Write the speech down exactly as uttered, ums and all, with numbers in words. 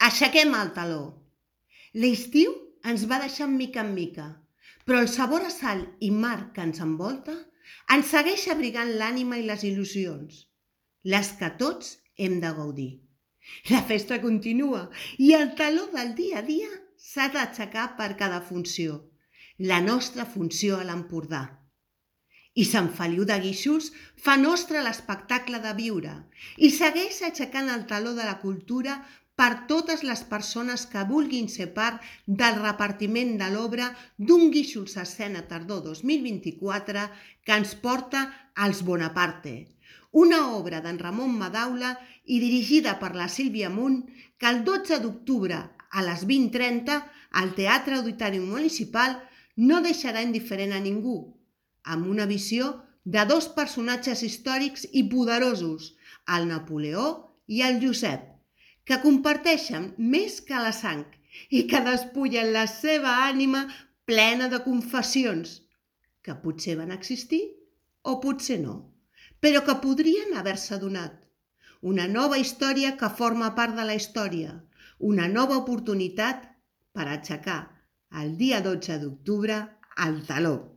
Aixequem el taló. L'estiu ens va deixar mica en mica, però el sabor a sal i mar que ens envolta ens segueix abrigant l'ànima i les il·lusions, les que tots hem de gaudir. La festa continua i el taló del dia a dia s'ha d'aixecar per cada funció, la nostra funció a l'Empordà. I Sant Feliu de Guíxols fa nostre l'espectacle de viure i segueix aixecant el taló de la cultura per totes les persones que vulguin ser part del repartiment de l'obra d'un Guíxols Escena Tardor dos mil vint-i-quatre que ens porta als Bonaparte, una obra d'en Ramon Madaula i dirigida per la Sílvia Munt que el dotze d'octubre a les vint trenta al Teatre Auditori Municipal no deixarà indiferent a ningú, amb una visió de dos personatges històrics i poderosos, el Napoleó i el Josep, que comparteixen més que la sang i que despullen la seva ànima plena de confessions, que potser van existir o potser no, però que podrien haver-se donat. Una nova història que forma part de la història, una nova oportunitat per aixecar el dia dotze d'octubre el taló.